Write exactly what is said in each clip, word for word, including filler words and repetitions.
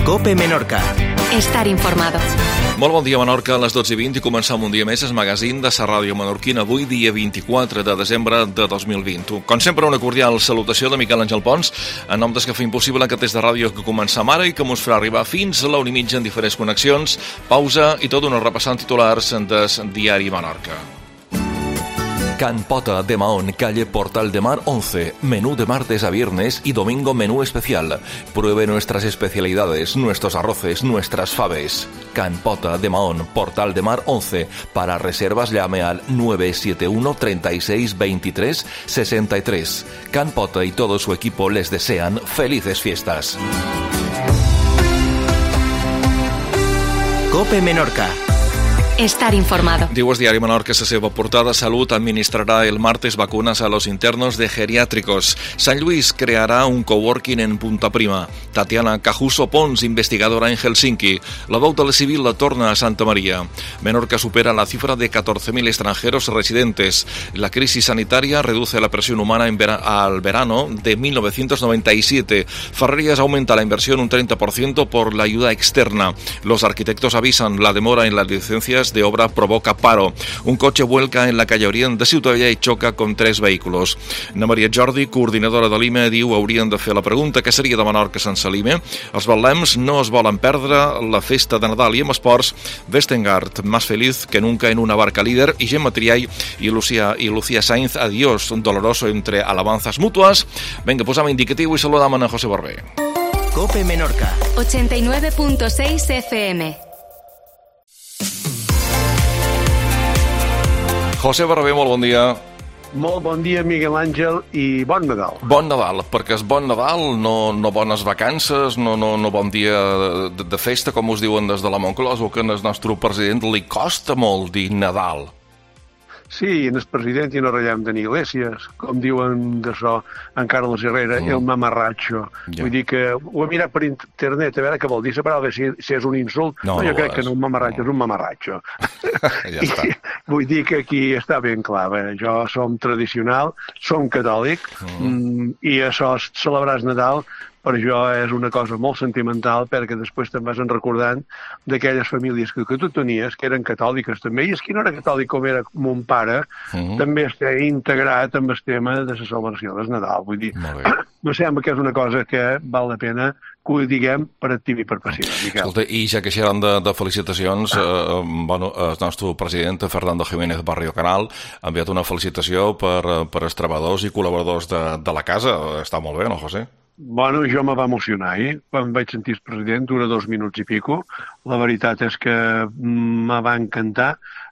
COPE Menorca. Estar informado. Molt bon dia, Menorca, a les dotze i vint i començam un dia més el magazín de la ràdio menorquina, avui dia vint-i-quatre de desembre de dos mil vint. Com sempre, una cordial salutació de Miquel Àngel Pons, en nom des que fa impossible aquest test de ràdio que començam ara i que mos farà arribar fins a la una i mitja en diferents connexions, pausa i tot una repassant titulars des Diari Menorca. Can Pota de Mahón, calle Portal de Mar once. Menú de martes a viernes y domingo menú especial. Pruebe nuestras especialidades, nuestros arroces, nuestras faves. Can Pota de Mahón, Portal de Mar once. Para reservas llame al nueve siete uno, treinta y seis, veintitrés, sesenta y tres. Can Pota y todo su equipo les desean felices fiestas. COPE Menorca. Estar informado. Diu el Diari Menorca que la seva portada: Salut administrará el martes vacunas a los internos de geriátricos. San Luis creará un coworking en Punta Prima. Tatiana Cajuso Pons, investigadora en Helsinki. La veu de la civil la torna a Santa María. Menorca supera la cifra de catorce mil extranjeros residentes. La crisis sanitaria reduce la presión humana en vera- al verano de mil novecientos noventa y siete. Ferrerías aumenta la inversión un treinta por ciento por la ayuda externa. Los arquitectos avisan la demora en las licencias de obra provoca paro. Un coche vuelca en la calle Orient de Ciutadella i xoca con tres vehículos. Na Maria Jordi, coordinadora de l'I M E, diu haurien de fer la pregunta què seria de Menorca sense l'I M E. Els batlems no es volen perdre la festa de Nadal i amb esports, Westengard, más feliz que nunca en una barca líder, i Gemma Triay i Lucía, i Lucía Sainz, adiós doloroso entre alabanzas mutuas. Venga, posam indicatiu i saludam a José Barbé. COPE Menorca. ochenta y nueve punto seis F M. José Barbé, molt bon dia. Molt bon dia, Miguel Àngel, i bon Nadal. Bon Nadal, perquè és bon Nadal, no, no bones vacances, no, no, no bon dia de, de festa, com us diuen des de la Moncloa, o que al nostre president li costa molt dir Nadal. Sí, en el president i no ratllem de Iglesias, com diuen d'això en Carlos Herrera, mm. el mamarratxo. Ja. Vull dir que ho he mirat per internet, a veure què vol dir, la paraula, si, si és un insult. No, no jo no crec és. que no, un mamarratxo no. És un mamarratxo. Ja està. I, vull dir que aquí està ben clar, bé, jo som tradicional, som catòlic, mm. Mm, i això, celebrar el Nadal, per això és una cosa molt sentimental, perquè després te'n vas recordant d'aquelles famílies que, que tu tenies, que eren catòliques també, i és que no era catòlic com era mon pare, uh-huh. també està integrat amb el tema de la celebració del Nadal. Vull dir, no sembla que és una cosa que val la pena que ho diguem per activa i per passiva, Miquel. Escolta, i ja que xerran de, de felicitacions, eh, bueno, el nostre president, Fernando Jiménez Barrio Canal, ha enviat una felicitació per, per els treballadors i col·laboradors de, de la casa. Està molt bé, no, José? Bueno, jo me va emocionar, eh? Quan vaig sentir el president, dura dos minuts i pico. La veritat és que me va encantar.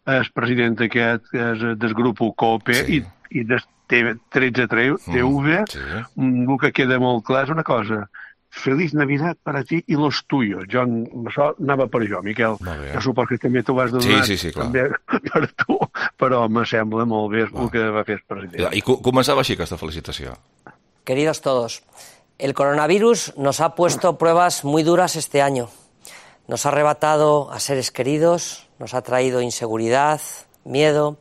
El president aquest és del grup COPE sí. i, i del tretze T V, mm, sí. El que queda molt clar és una cosa. Feliç Navidad per a ti i los tuyos. Jo, això anava per jo, Miquel. Jo suposo que també t'ho vas donar sí, sí, sí, també per tu, però me sembla molt bé el que va fer el president. I començava així aquesta felicitació. Queridos todos, el coronavirus nos ha puesto pruebas muy duras este año. Nos ha arrebatado a seres queridos, nos ha traído inseguridad, miedo,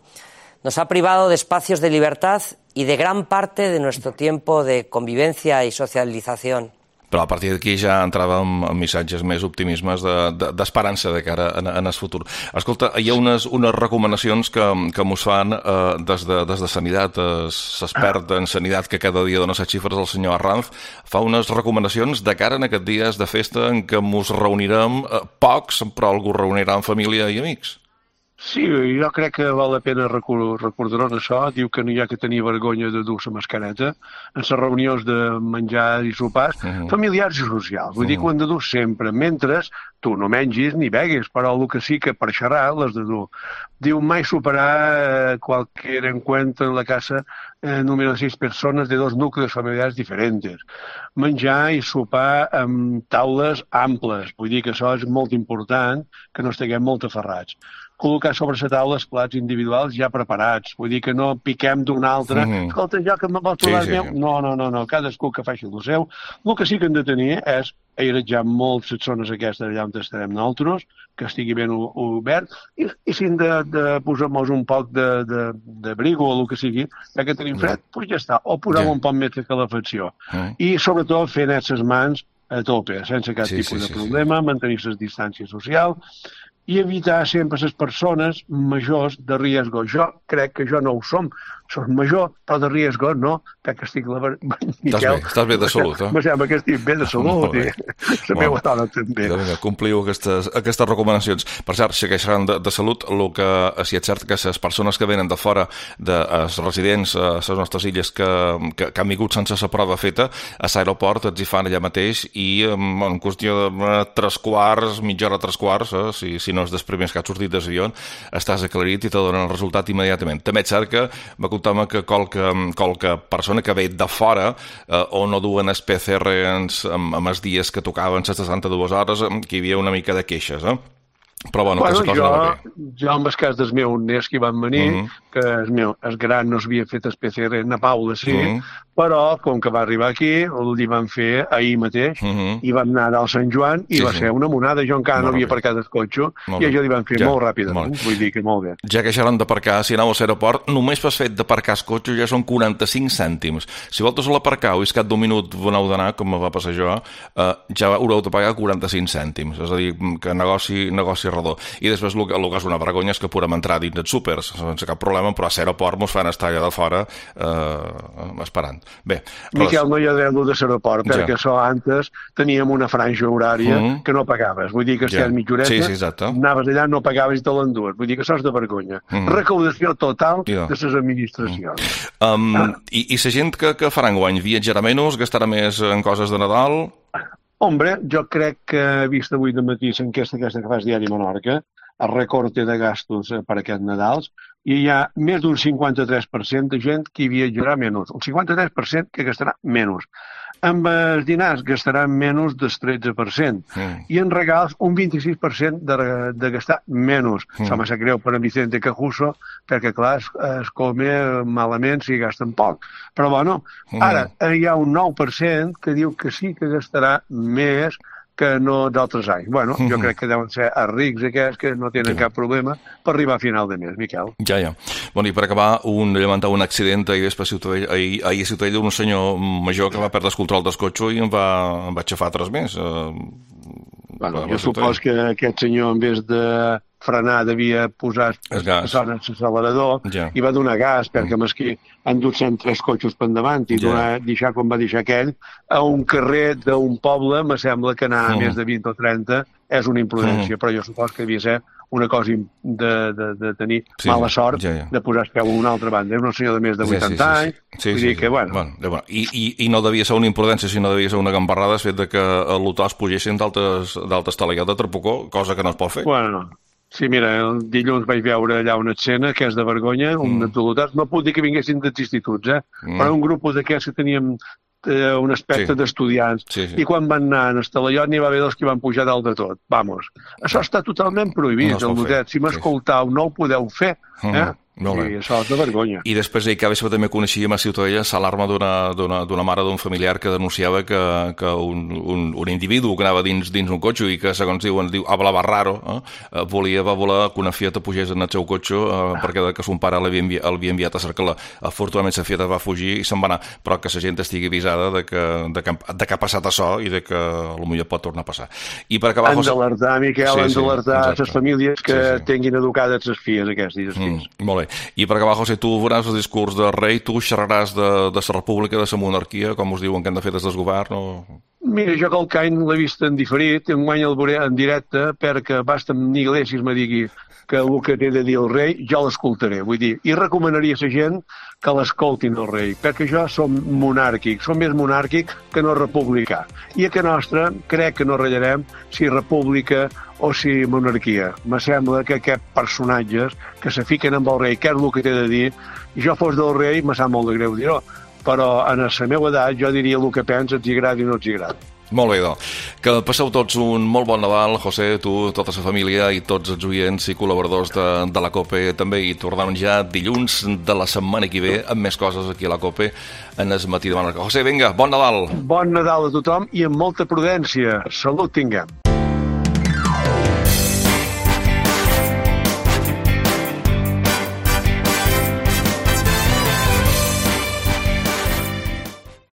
nos ha privado de espacios de libertad y de gran parte de nuestro tiempo de convivencia y socialización. Però a partir d'aquí ja entràvem en missatges més optimismes d'esperança de, de, de cara en, en el futur. Escolta, hi ha unes, unes recomanacions que, que mos fan eh, des, de, des de Sanitat, l'expert en Sanitat que cada dia dona set xifres, el senyor Arranz, fa unes recomanacions de cara en aquests dies de festa en què mos reunirem eh, pocs, però algú reunirà amb família i amics. Sí, jo crec que val la pena recordar-nos això. Diu que no hi ha que tenir vergonya de dur la mascareta en les reunions de menjar i sopars uh-huh. familiars i socials. Vull uh-huh. dir que ho hem de dur sempre, mentre tu no mengis ni beguis, però el que sí que per xerrar l'has de dur. Diu mai superar eh, cualquier encuentro en la casa eh, número de sis persones de dos núcleos familiars diferents. Menjar i sopar amb taules amples. Vull dir que això és molt important, que no estiguem molt aferrats. Col·locar sobre la taula els plats individuals ja preparats. Vull dir que no piquem d'un altre. Mm-hmm. Escolta, jo que me vols trobar sí, sí. meu... No, no, no, no, cadascú que faci el seu. El que sí que hem de tenir és airejar molt les zones aquestes allà on estarem nosaltres, que estigui ben obert, i, i si hem de, de posar-nos un poc de, de, de brigo o el que sigui, ja que tenim fred, doncs ja està. O posar yeah. un poc més de calefacció. Mm. I sobretot fer net les mans a tope, sense cap sí, tipus sí, de sí, problema, sí. mantenir les distàncies socials i evitar sempre les persones majors de riesgo. Jo crec que jo no ho som, soc major, però de riesgo no, perquè estic... La... Estàs bé, estàs bé de salut, eh? Me sembla que estic bé de salut i la meva dona també. Vinga, compliu aquestes, aquestes recomanacions. Per cert, si queixaran de, de salut, el que si és cert que les persones que venen de fora, dels residents a les nostres illes que, que, que han vingut sense la prova feta, a l'aeroport els hi fan allà mateix i en qüestió de tres quarts, mitja hora, tres quarts, eh, si, si no és dels primers que has sortit des d'avió, estàs aclarit i te donen el resultat immediatament. També és cert que va comptar-me que qualque, qualque persona que ve de fora eh, o no duen el P C R ens, amb, amb els dies que tocaven les seixanta-dues hores, que hi havia una mica de queixes, eh? Però bueno, bueno que la cosa jo, anava bé. Jo, en el cas dels meus nets que van venir, mm -hmm. que el meu, el gran no s'havia fet el P C R, na Paula sí, mm -hmm. però com que va arribar aquí, li van fer ahir mateix, mm -hmm. i vam anar al Sant Joan, i sí, va sí. ser una monada. Jo encara molt no havia bé. aparcat el cotxe, molt i això li van fer ja, molt ràpidament. Molt. Vull dir que molt bé. Ja que xerran d'aparcar, si aneu a l'aeroport, només per fet d'aparcar el cotxe ja són quaranta-cinc cèntims. Si vosaltres l'aparcau i és cap d'un minut veneu d'anar, com me va passar jo, eh, ja haureu de pagar quaranta-cinc cèntims. És a dir, que negoci, negoci redó. I després el que, el que és una vergonya és que podem entrar dins dels súpers sense cap problema, però a l'aeroport mos fan estar allà de fora eh, esperant. Bé, Miquel, no hi ha dret de l'aeroport, ja. perquè això antes teníem una franja horària mm -hmm. que no pagaves. Vull dir que si ja. mitja horeta, sí, sí, anaves allà, no pagaves i te l'endues. Vull dir que això és de vergonya. Mm -hmm. Recaudació total ja. de les administracions. Mm -hmm. um, ah. I, I la gent que, que farà enguany viatjarà menys, gastarà més en coses de Nadal? Hombre, jo crec que, vist avui de matí l'enquesta aquesta que fas Diari Menorca, el recorte de gastos per aquest Nadals, i hi ha més d'un cinquanta-tres per cent de gent que hi viatjarà menys. Un cinquanta-tres per cent que gastarà menys. Amb els dinars gastaran menys del tretze per cent. Mm. I en regals un vint-i-sis per cent de, de gastar menys. Mm. Se m'ha sap greu per en Vicente Cajuso, perquè, clar, es, es come malament si gasten poc. Però, bueno, ara mm. hi ha un nou per cent que diu que sí que gastarà més que no d'altres anys. Bueno, jo crec que deuen ser els rics aquests que no tenen sí. cap problema per arribar a final de mes, Miquel. Ja, ja. Bueno, i per acabar, un, lamentar un accident ahir a Ciutadella, ahir, ahir a Ciutadella, un senyor major que va perdre el control del cotxe i em va, em va aixafar tres més. Uh, bueno, jo supos que aquest senyor, en vez de frenar, devia posar l'accelerador ja. i va donar gas, perquè mm. mesquí han dut cent tres cotxes per endavant i ja. donar, deixar com va deixar aquell a un carrer d'un poble, me sembla que anar mm. a més de vint o trenta és una imprudència, mm. però jo supos que devia ser una cosa de, de, de tenir sí, mala sort ja, ja. de posar el peu a una altra banda. És un senyor de més de vuitanta sí, sí, sí. anys, sí, vull sí, dir sí. que, bueno... bueno, bueno i, i, I no devia ser una imprudència, sinó devia ser una gambarrada el fet de que a l'Utòs pugessin d'altes talaiat de Trapocó, cosa que no es pot fer. Bueno, sí, mira, el dilluns vaig veure allà una escena que és de vergonya, mm. un atolotat, no puc dir que vinguessin dels instituts, eh? Mm. però un grup d'aquests que teníem eh, un aspecte sí. d'estudiants, sí, sí. i quan van anar en el talaiot n'hi va haver dos que van pujar dalt de tot. Vamos, això està totalment prohibit, no el lotet. Si m'escoltau, sí. no ho podeu fer, eh? Mm. No, sí, això és de vergonya. I després ahir que també coneixíem a Ciutadella l'alarma d'una mare d'un familiar que denunciava que, que un, un, un individu que anava dins, dins un cotxe i que, segons diuen, diu, hablava raro, eh? volia, va voler que una fieta pugés en el seu cotxe eh, perquè que son pare l'havia enviat, enviat a cercar-la. Afortunadament la fieta va fugir i se'n va anar, però que la gent estigui avisada de que, de que, de que ha passat això i de que potser pot tornar a passar. I per acabar... Han d'alertar, Miquel, sí, han d'alertar sí, les famílies que sí, sí. tinguin educades les filles aquestes. Mm, molt bé. I per acabar, José, tu veuràs el discurs del rei, tu xerraràs de, de la república, de la monarquia, com us diuen que han de fer des del govern, o... Mira, jo que el Cain l'he vist en diferit, enguany el veuré en directe, perquè basta en Iglesias me digui que el que té de dir el rei, jo l'escoltaré, vull dir, i recomanaria a la gent que l'escoltin el rei, perquè jo som monàrquic, som més monàrquic que no republicà. I a que nostra crec que no ratllarem si república o si monarquia. Me sembla que aquests personatges que se fiquen amb el rei, què és el que té de dir, i jo fos del rei, me sap molt de greu dir-ho, però en la meva edat jo diria el que pensa, els agrada i no els agrada. Molt bé, doncs. Que passeu tots un molt bon Nadal, José, tu, tota la família i tots els oients i col·laboradors de, de la COPE també, i tornem ja dilluns de la setmana que ve amb més coses aquí a la COPE en el matí de Menorca. José, vinga, bon Nadal! Bon Nadal a tothom i amb molta prudència. Salut tinguem!